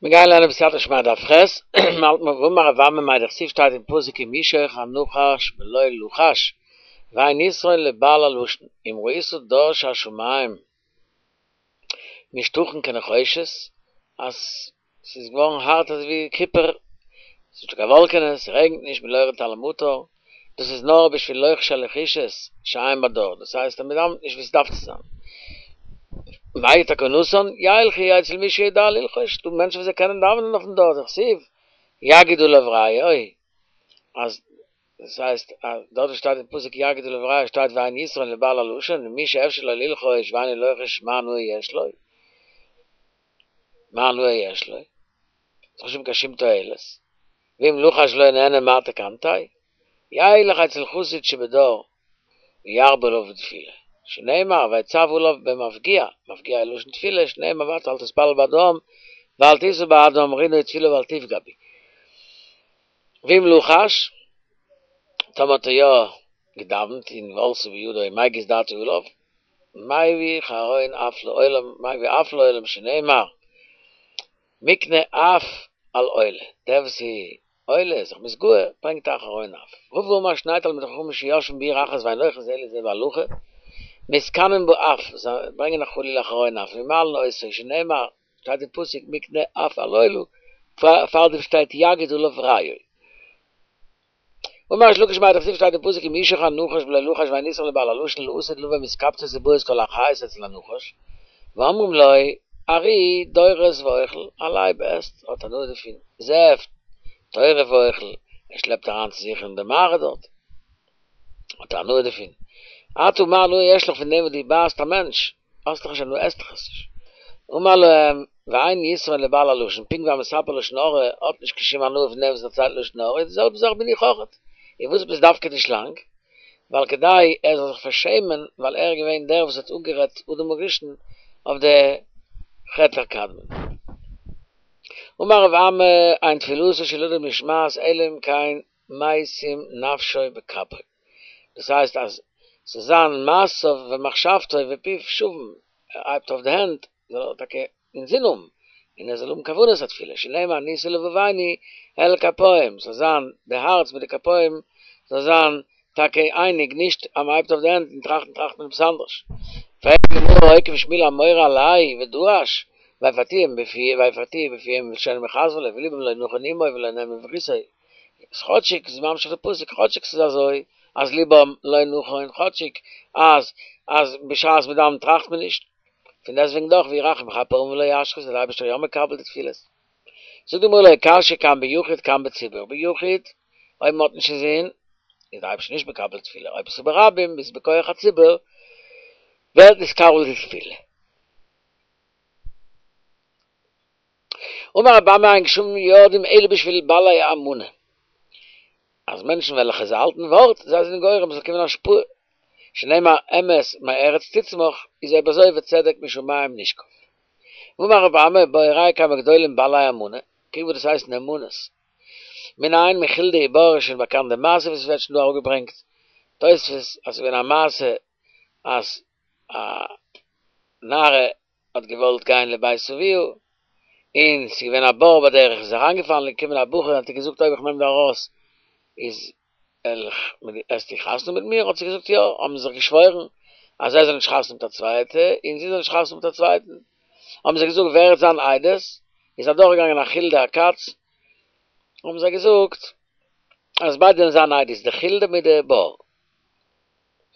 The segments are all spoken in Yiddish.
מיר גייען לערנען בסייעתא דשמיא דף ח', מ'האלט מיר ואמר רב אמי מאי דכתיב שטייט אין פסוק אם ישוך הנחש בלא לחש ואין יתרון לבעל הלשון אם ראית דר שהשמים משתחין כנחושת אז ס'איז געווארן הארט אזוי ווי קופער, ס'איז נישטא קיין וואלקענעס, ס'רעגנט נישט מלא יורד טל ומטר, דאס איז נאר בשביל לוחשי הלחישות שאין בדור, דאס הייסט אז מ'דאווענט נישט ווי ס'דארף צו זיין. מהי תקנתן? ילכו אצל מי שיודע ללחוש, ס'דא מענטשן וואס זיי קענען דאווענען אויפן דור, דכתיב יגיד עליו רעהו, אז דאס הייסט אז דארט וואס שטייט אין פסוק יגיד עליו רעהו שטייט ואין יתרון לבעל הלשון, ומי שאפשר לו ללחוש ואינו לוחש מה הנאה יש לו? מה הנאה יש לו? ס'איז נישט דא קיין שום תועלת. ואם לחש ולא נענה מה תקנתיה? ילך אצל חסיד שבדור וירבה עליו תפילה, שנאמר ויצו עליו במפגיע, מפגיע איז לשון תפילה, שנאמר ואתה אל תתפלל בעד העם ואל תשא בעד העם רינה ותפילה ואל תפגע בי. ואם לחש, טאמער האט ער יא געדאווענט און ועלתה בידו מגיס דעתו עליו, מביא חרון אף לעולם, מביא אף לעולם שנאמר מקנה אף על עולה, דער וואס איז עולה זיך מתגאה ברענגט א חרון אף. רבא אמר שני תלמידי חכמים שיושבין בעיר אחת ואין הולכין זה לזה בהלכה, מתקנין באף, זיי ברענגען א חלילה חרון אף, ומעלין אותו, שנאמר, שטייט אין פסוק מקנה אף על עולה, פארדעם שטייט יגיד עליו רעהו. אמר ריש לקיש מאי דכתיב שטייט אין פסוק אם ישוך הנחש בלא לחש ואין יתרון לבעל הלשון לעתיד לבא מתקבצות ובאות כל החיות אצל הנחש ואומרים לו ארי דורס ואוכל א לייב עסט האט הנאה דערפון זאב טורף ואוכל ער שלעפט אריין צו זיך אין די מערה דארט האט ער הנאה דערפון אתה מה הנאה יש לך פון דעם וואס דו בייסט א מענטש האסט דאך נישט הנאה עסט דאך עס נישט. אמר להם, ואין יתרון לבעל הלשון, פונקט ווי א מספר לשון הרע האט נישט קיין שום הנאה פון דעם וואס דערציילט לשון הרע, איז די זעלבע זאך בין איך אויכעט. און וואס עפעס דווקא די שלאנג? ווייל כדי ער זאל זיך פארשעמען, ווייל ער איז געווען דער וואס האט אפגערעדט אדם הראשון אויף די חטא הקדמון. אמר רב אמי, אין תפילתו של אדם נשמעת אלא אם כן משים נפשו בכפו, דאס הייסט אז ס'זאל זיין מעשיו ומחשבתו ופיו שווים, ער הייבט אויף די הענט זאל ער טאקע אינזין האבן, און ער זאל האבן כוונת התפילה, שנאמר נשא לבבנו אל כפים, ס'זאל זיין די הארץ מיט די כפים זאל זיין טאקע אייניג, נישט אז מ'הייבט אויף די הענט און טראכטן טראכט מען עפעס אנדערש. פרעגט די גמרא הוקיף שמואל אמורא עליה ודרש, ויפתיהו בפיהם ובלשונם יכזבו לו ולבם לא נכון עמו ולא נאמנו בבריתו, איז כאטשיג איז ממשיך די פסוק כאטשיג ס'איז אזוי אז לבם לא נכון כאטשיג אז אז בשעת מ'דאווענט טראכט מען נישט, פון דעסטוועגן דאך והוא רחום יכפר עון ולא ישחית איז דער אייבערשטער יא מקבל די תפילות. זאגט די גמרא לא קשיא כאן ביחיד כאן בציבור, ביחיד אויב מ'האט נישט אינזין איז דער אייבערשטער נישט מקבל תפילה, אויב עס איז ברבים איז בכח הציבור ווערט נתקבל די תפילה. אמר רבי אמי אין גשמים יורדים אלא בשביל בעלי אמנה, אז מענטשן וועלכע זיי האלטן ווארט, זיי זענען גורם ס'זאל קומען השפעה, שנאמר אמת מארץ תצמח, איז אויב אזוי וצדק משמים נשקף. ואמר רבי אמי בוא וראה כמה גדולים בעלי אמנה, קוק וואס דאס הייסט נאמנות. מנין מחולדה ובור איז שוין באקאנט די מעשה וואס עס ווערט שוין דא אראפגעברענגט, תוספות אז ס'איז געווען א מעשה אז א נערה האט געוואלט גיין לבית אביה, און ס'איז געווען א בור בדרך, איז אריינגעפאלן, איז געקומען א בחור און האט איר געזאגט אויב איך נעם דיר ארויס איז וועסטו חתונה מיט מיר, האט זי געזאגט יא, האבן זיי זיך געשוואוירן אז ער זאל נישט חתונה מיט א צווייטע און זי זאל נישט חתונה מיט א צווייטן, האבן זיי געזאגט ווער וועט זיין עדות, איז אדורכגעגאנגען א חולדה א קאץ, האבן זיי געזאגט אז ביידע זאלן זיין עדות, די חולדה מיט די בור.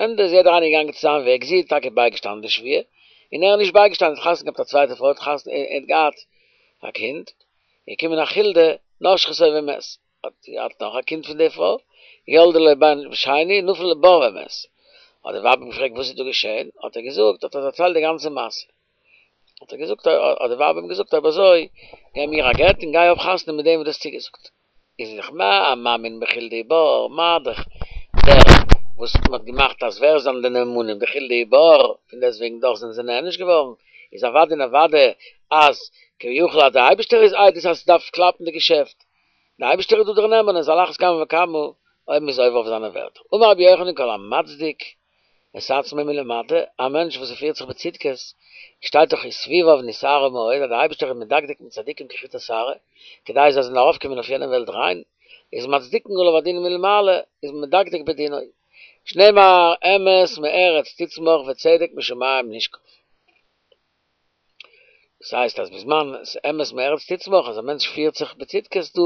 ענדע איז יעדער איינער געגאנגען צו זיין וועג, זי האט טאקע בייגעשטאנען די שבועה, און ער איז נישט בייגעשטאנען, האט חתונה געהאט מיט א צווייטע פרוי, האט חתונה און האט געהאט א קינד, איז געקומען א חולדה, נשכתו ומת, האט געהאט נאך א קינד פון די פרוי, ילדה לו בן שני, נפל לבור ומת, האט די ווייב אים געפרעגט וואס איז דא געשען, האט ער געזאגט, האט ער דערציילט די גאנצע מעשה. האט ער געזאגט, האט די ווייב אים געזאגט, אויב אזוי, געב מיר א גט און גיי האב חתונה מיט דעם וואס דו האסט צוגעזאגט. איז דאך מה המאמין בחולדה ובור, מה דאך דער וואס מען האט געמאכט אז ווער זענען די נאמנים די חולדה ובור, פון דעסטוועגן דאך זענען זיי נענש געווארן, איז אוודאי און אוודאי אז כביכול אז דער אייבערשטער איז עדות אז ס'דארף קלאפן די געשעפט, דער אייבערשטער איז דא דער נאמן איז על אחת כמה וכמה אויב מ'איז עובר אויף זיינע ווערטער. אמר רבי יוחנן כל המצדיק. את עצמו מלמטה, א מענטש וואס פירט זיך בצדקות, שטייט דאך וסביביו נשערה מאוד, אז דער אייבערשטער איז מדקדק מיט צדיקים כחוט השערה, כדי זיי זאלן ארויפקומען אויף יענע וועלט ריין, איז מצדיקין עליו הדין מלמעלה, איז מדקדק בדינו. שנאמר אמת מארץ תצמח וצדק משמים נשקף. דאס הייסט אז בזמן אמת מארץ תצמח אז א מענטש פירט זיך בצדקות דא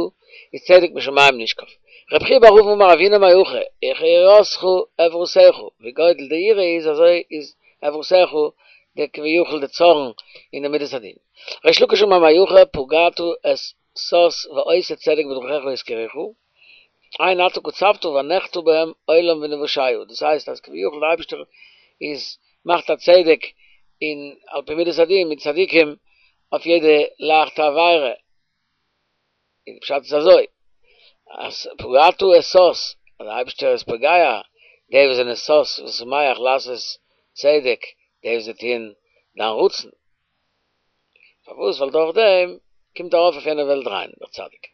איז צדק משמים נשקף. רבי חייא בר אבין אמר הוינא מהכא, וכיראתך עברתך, ווי גודל די יראה איז אזוי איז עברתך די כביכול די צארן און די מידת הדין. ריש לקיש אמר מהכא פגעת את שש ועושה צדק בדרכיך יזכרוך, הן אתה קצבת והנחת בהם עולם ונושעה, דאס הייסט אז כביכול די אייבערשטער איז מאכט א צדק און על פי מידת הדין מיט צדיקים אויף יעדע לייכטע עבירה, און די פשט איז אזוי אז פגעת את שש, אז די אייבערשטער איז פוגע די וואס זענען שש ושמח לעשות צדק, די וואס זיי טוען דיין רצון. פארוואס? ווייל דורך דעם קומט ארויף אויף יענע וועלט ריין דער צדיק.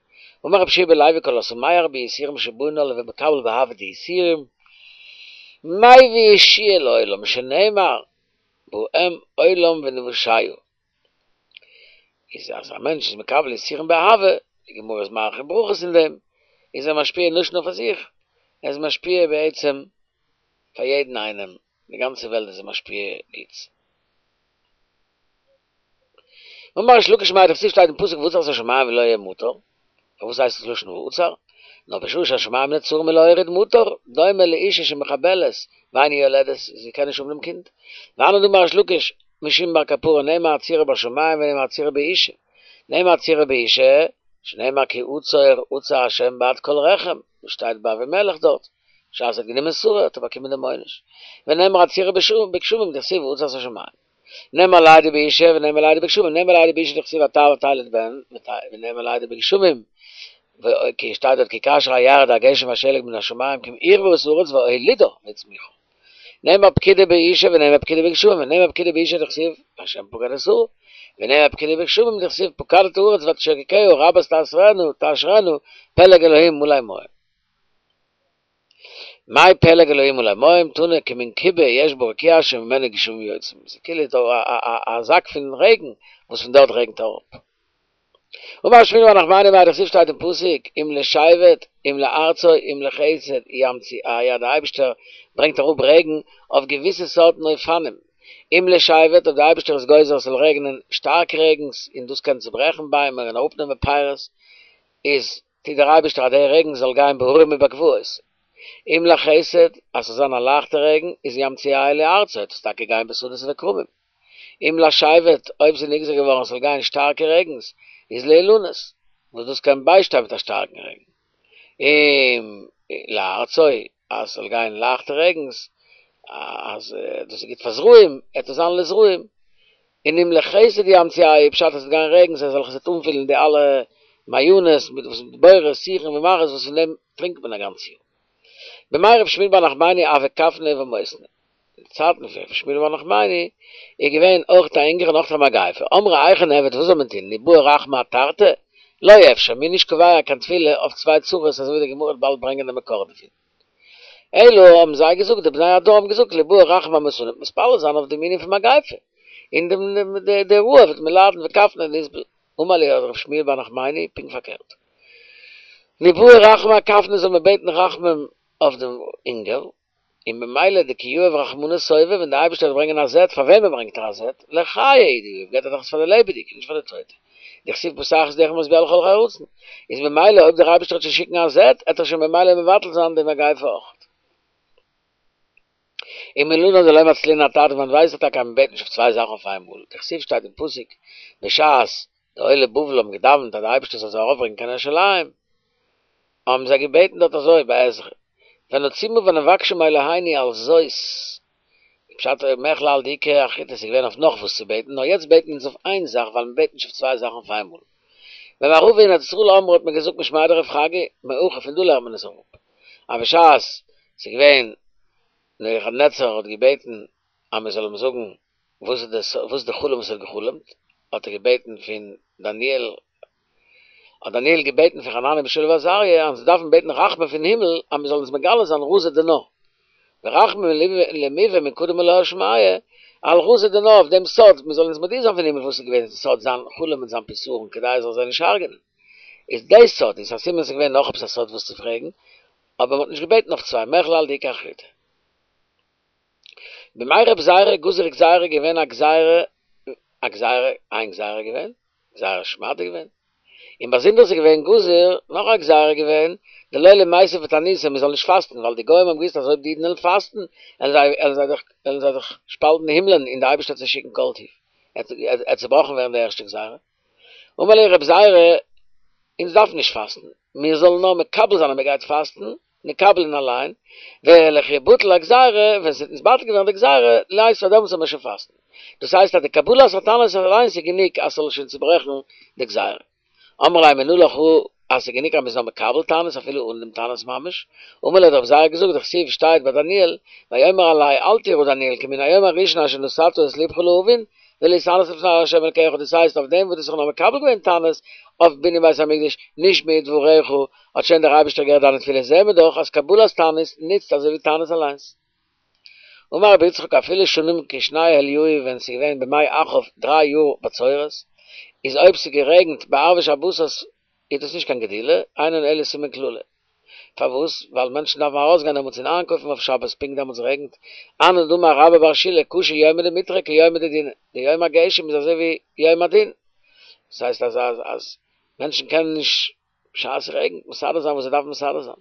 אמר רבי יהושע בן לוי כל השמח ביסורים שבאין עליו ומקבל באהבה די יסורים, מביא ישועה לעולם שנאמר בהם עולם ונושעה. איז אז א מענטש איז מקבל יסורים באהבה, די גמרא איז מאריך אין ברכות אין דעם, איז ער משפיע נישט נאר פאר זיך, ער איז משפיע בעצם פאר יעדן איינעם, די גאנצע וועלט איז ער משפיע גוטס. אמר ריש לקיש מאי דכתיב שטייט אין פסוק ועצר את השמים ולא יהיה מטר, פארוואס הייסט עס לשון ועצר? נאר בשעה שהשמים נעצרים מלהוריד מטר, דומה לאישה שמחבלת ואינה יולדת, זי קען נישט האבן דעם קינד. והני דאמר ריש לקיש משום בר קפרא נאמר עצירה בשמים ונאמר עצירה באישה, נאמר עצירה באישה, שנאמר כי עצור עצר השם בעד כל רחם, וואס שטייט ביי אבימלך דארט. בשעת ער האט גענומען שרה האט ער באקומען דעם עונש. ונאמר עצירה בגשמים דכתיב ועצר את השמים. נאמר לידה באישה ונאמר לידה בגשמים, נאמר לידה באישה דכתיב ותער ותלד בן, ונאמר לידה בגשמים, כי שטייט דארט כי כאשר ירד הגשם והשלג מן השמים כי אם ערבה את הארץ והולידה והצמיחה. נאמר פקידה באישה ונאמר פקידה בגשמים, ונאמר פקידה באישה דכתיב השם פקד את שרה, ונאמר פקידה בגשמים דכתיב פקדת הארץ ותשקקה רבת תעשרנה תעשרנה פלג אלהים מלא מים. מאי פלג אלהים מלא מים תנא כמין כיבה יש ברקיע שממנו גשמים יוצאים, ס'איז כאילו דא א זאק פון רעגן וואס פון דארט רעגנט אראפ. אמר שמואל בר נחמני מאי דכתיב שטייט אין פסוק אם לשבט אם לארצו אם לחסד ימציאהו אז דער אייבישטער ברענגט אראפ רעגן אויף געוויסע סארטן אופנים, אם לשבט אויב דער אייבישטער איז גוזר עס זאל רעגענען שטארק רעגנס און דאס קען צוברעכן ביימער און אראפנעמען פירות איז טוט דער אייבערשטער אז דער רעגן זאל גיין בהרים ובגבעות, אם לחסד, אז ס'זאל זיין א לייכטע רעגן, איז ימציאהו לארצו, וועט עס טאקע גיין בשדות וכרמים. אם לשבט, אויב ס'איז נגזר געווארן ס'זאל גיין שטארקע רעגנס, איז לאילנות, וואס דאס קען ביישטיין מיט א שטארקן רעגן. אם לארצו, אז ס'זאל גיין לייכטע רעגנס, אז דאס איז גוט פאר זרעים, עט עס זיין לזרעים. און אם לחסד ימציאהו, פשט אז עס וועט גיין רעגנס אזעלכע עס וועט אנפילן די אלע מעיינות מיט וואס מיט בורות שיחין ומערות וואס פון דעם טרינקט מען א גאנץ יאר. בימי רב שמואל בר נחמני הוה כפנא ומותנא. אין די צייטן פון רב שמואל בר נחמני איז געווען אויך א הונגער און אויך א מגיפה. אמרי היכי נעביד וואס זאל מען טון ניבעי רחמי אתרתי? לא אפשר, מ'איז נישט קובע קיין תפילה אויף צוויי צרות אזוי ווי די גמרא וועט באלד ברענגען די מקור דערפון. אלא האבן זיי געזאגט, די בני הדור האבן געזאגט, ליבעי רחמי אמותנא, מתפלל זיין אויף דעם ענין פון מגיפה, און דעם די רעב וועט מען ליידן וכפנא נסבול. אמר להו האט ר' שמואל בר נחמני פונקט פארקערט, ניבעי רחמי אכפנא זאל מען בעטן רחמים אויף דעם הונגער, און במילא דכי יהיב רחמנא שובע, ווען דער אייבערשטער וועט ברענגען א זעט, פאר וועמען ברענגט ער א זעט? לחיי הוא דיהיב, געבט ער דאך עס פאר די לעבעדיגע, נישט פאר די טויטע. דכתיב פתח את ידך ומשביע לכל חי רצון, איז ממילא אויב דער אייבערשטער וועט שוין שיקן א זעט, עט ער שוין ממילא מבטל זיין די מגיפה אויך. ומנלן דלא מצלינן אתרתי, פון וואנעט ווייסט ער טאקע אז מען בעט נישט אויף צוויי זאכן אויף איינמאל, דכתיב שטייט אין פסוק בשעת די עולי בבל האבן געדאווענט אז דער אייבערשטער זאל זיי ארויפברענגען קיין ירושלים, האבן זיי געבעטן דארט אזוי ביי עזרא, ונצומה ונבקשה מאלהינו על זאת, פשט מכלל דאיכא אחריתי ס'איז געווען אויף נאך וואס צו בעטן, נאר יעצט בעטן אונז אויף איין זאך ווייל מ'בעט נישט אויף צוויי זאכן אויף איינמאל. במערבא אין ארץ ישראל אמרו האט מען געזאגט משמיה דרב חגי, מהכא פון דא לערנט מען עס אראפ. אז בשעת ס'איז געווען נבוכדנצר האט געבעטן אז מ'זאל אים זאגן וואס איז די וואס איז די חלום וואס ער האט געחלומט, האט ער געבעטן פון דניאל האט דניאל געבעטן פון חנניה מישאל ועזריה אז זיי דארפן בעטן רחמים פון הימל אז מען זאל אונז מגלה זיין רזא דנא. ורחמים למיבע מקדם עילאה שמיא, על רזא דנא אויף דעם סוד, מען זאל אונז מודיע זיין פון הימל וואס איז געווען סוד זיין חלום און זיין פתרון כדי ער זאל זיי נישט הרג'נען. איז די סוד איז א סימן ס'איז געווען נאך עפעס א סוד וואס צו פרעגן, אבער מ'האט נישט געבעטן אויף צוויי, מכלל דאיכא אחריתי. בימי רב זירא גזר גזירה געווען א גזירה א גזירה איין גזירה געווען גזירת שמד געווען און באזונדער איז געווען גזר נאך א גזירה געווען דלא למיתב בתעניתא מען זאל נישט פאסטן ווייל די גוים האבן געוואוסט אז אויב די אידן וועלן פאסטן וועלן זיי וועלן זיי דאך וועלן זיי דאך שפאלטן די הימלען און די אייבערשטער וועט זיי שיקן כל טוב עט צובראכן ווערן די ערשטע גזירה אמר להו רב זירא אונז דארפן נישט פאסטן מיר זאלן נאר מקבל זיין אז מען גייט פאסטן נקבלינן עלין, ולכי בטל הגזירה, ווען ס'וועט נתבטל געווערן די גזירה, ליתבי דעמאלטס זאל מען שוין פאסטן. דאס הייסט אז די קבלת התענית אליינס איז גענוג אז ס'זאל שוין צוברעכן די גזירה. אמרי ליה מנא לך אז ס'איז גענוג אז מ'איז נאר מקבל תענית אפילו אן דעם תענית ממש. אמר להו האט רב זירא געזאגט דכתיב שטייט ביי דניאל, ויאמר אלי אל תירא דניאל כי מן היום הראשון אשר נתת את לבך להבין, ולהתענות לפני ה' אלקיך, דאס הייסט אויף דעם וואס דו האסט זיך נאר מקבל געווען תענית אויף בנין בית המקדש, נשמעו דבריך, האט שוין דער אייבערשטער געהערט דיינע תפילות, זעהן מיר דאך אז קבלת תענית נוצט אזוי ווי תענית אליינס. אמר רבי יצחק אפילו שנים כשני אליהו ווען ס'איז געווען בימי אחאב דריי יאר בצורת, איז אויב ס'איז גערעגנט בערבי שבתות איז דאס נישט קיין גדילה, אינן אלא סימן קללה. פארוואס? ווייל מענטשן דארפן ארויסגיין דעמאלטס און איינקויפן אויף שבת, פונקט דעמאלטס רעגנט. אנן דאמר רבה בר שילא קשה יומא דמיטרא כיומא דדינא, די יום הגשם איז אזוי ווי יום הדין, דאס הייסט אז אז אז מענטשן קענען נישט בשעת ס'רעגנט מסדר זיין וואס זיי דארפן מסדר זיין.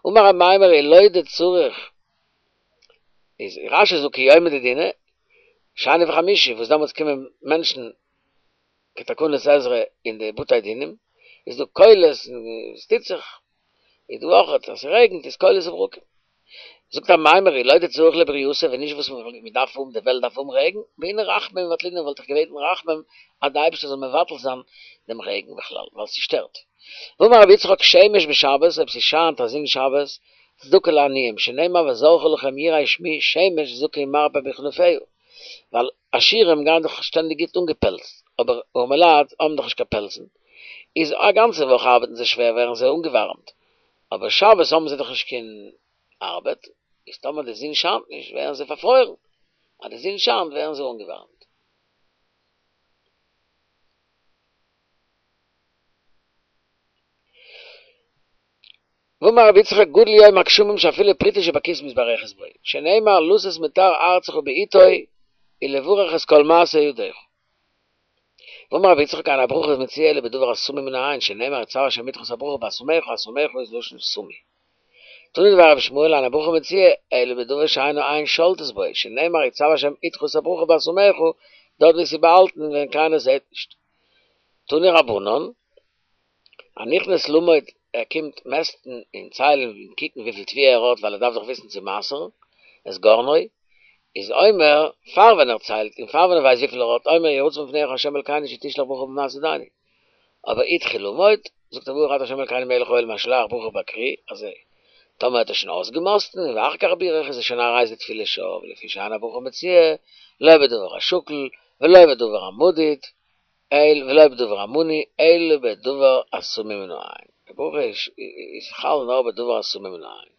אמר אמימר אלא דצריך איז רש"י זאגט כיומא דדינא, שני וחמישי וואס דעמאלטס קומען מענטשן כתקנת עזרא אין די בתי דינים איז דא קולות און עס טוט זיך, איז דא אויך אז ס'רעגנט איז קולות וברקים. זאגט אמימר אי לא דצריך לברייתא ווען נישט וואס מען דארף האבן די וועלט דארף האבן רעגן, בעינא רחמי מבטלינן וואלט איך געבעטן רחמים אז די אייבערשטער זאל מבטל זיין דעם רעגן בכלל ווייל ס'שטערט. ואמר רבי יצחק שמש בשבת אויב ס'שיינט א זון שבת צדקה לעניים שנאמר וזרחה לכם יראי שמי שמש צדקה ומרפא בכנפיה ווייל עשירים גייען דאך שטענדיג גוט אנגעפעלצט, אבער ארעמעלייט האבן דאך נישט קיין פעלצן, איז א גאנצע וואך ארבעטן זיי שווער ווערן זיי אנגעווארעמט, אבער שבת האבן זיי דאך נישט קיין ארבעט, איז טאמער די זון שיינט נישט ווערן זיי פארפרוירן, אז די זון שיינט ווערן זיי אנגעווארעמט. ואמר רבי יצחק גדול יום הגשמים שאפילו פרוטה שבכיס מתברכת בו, שנאמר לתת מטר ארצך בעתו ולברך את כל מעשה ידיך. ואמר רבי יצחק אין הברכה מצויה אלא בדבר הסמוי מן העין, שנאמר יצוה השם אתך את הברכה בהשמך, השמך איז לשון סמוי. תנא דבי רבי ישמעאל אין הברכה מצויה אלא בדבר שאין העין שולטת בו, שנאמר יצוה השם אתך את הברכה בהשמך, דארט ווי עס איז באהאלטן ווען קיינער זעט נישט. תנו רבנן, הנכנס למוד, ער קומט מעסטן און ציילן און קוקן וויפיל תבואה ער האט ווייל ער דארף דאך וויסן צו מעשר'ן, את גרנו, איז אומר, פאר ווען ער ציילט און פאר ווען ער ווייסט וויפיל ער האט, אומר יהי רצון מלפניך ה' אלקינו שתשלח ברכה במעשה ידינו. אבער התחיל למוד, זאגט ער ברוך אתה ה' אלקינו מלך העולם השולח ברכה בכרי, אזוי, טאמער האט ער שוין אויסגעמאסטן און ואחר כך בירך איז עס שוין הרי זו תפילת שוא, ולפי שאין הברכה מצויה, לא בדבר השקול, ולא בדבר המדוד, אל ולא בדבר המנוי, אלא בדבר הסמוי מן העין. די ברכה איז חל נאר בדבר הסמוי מן העין.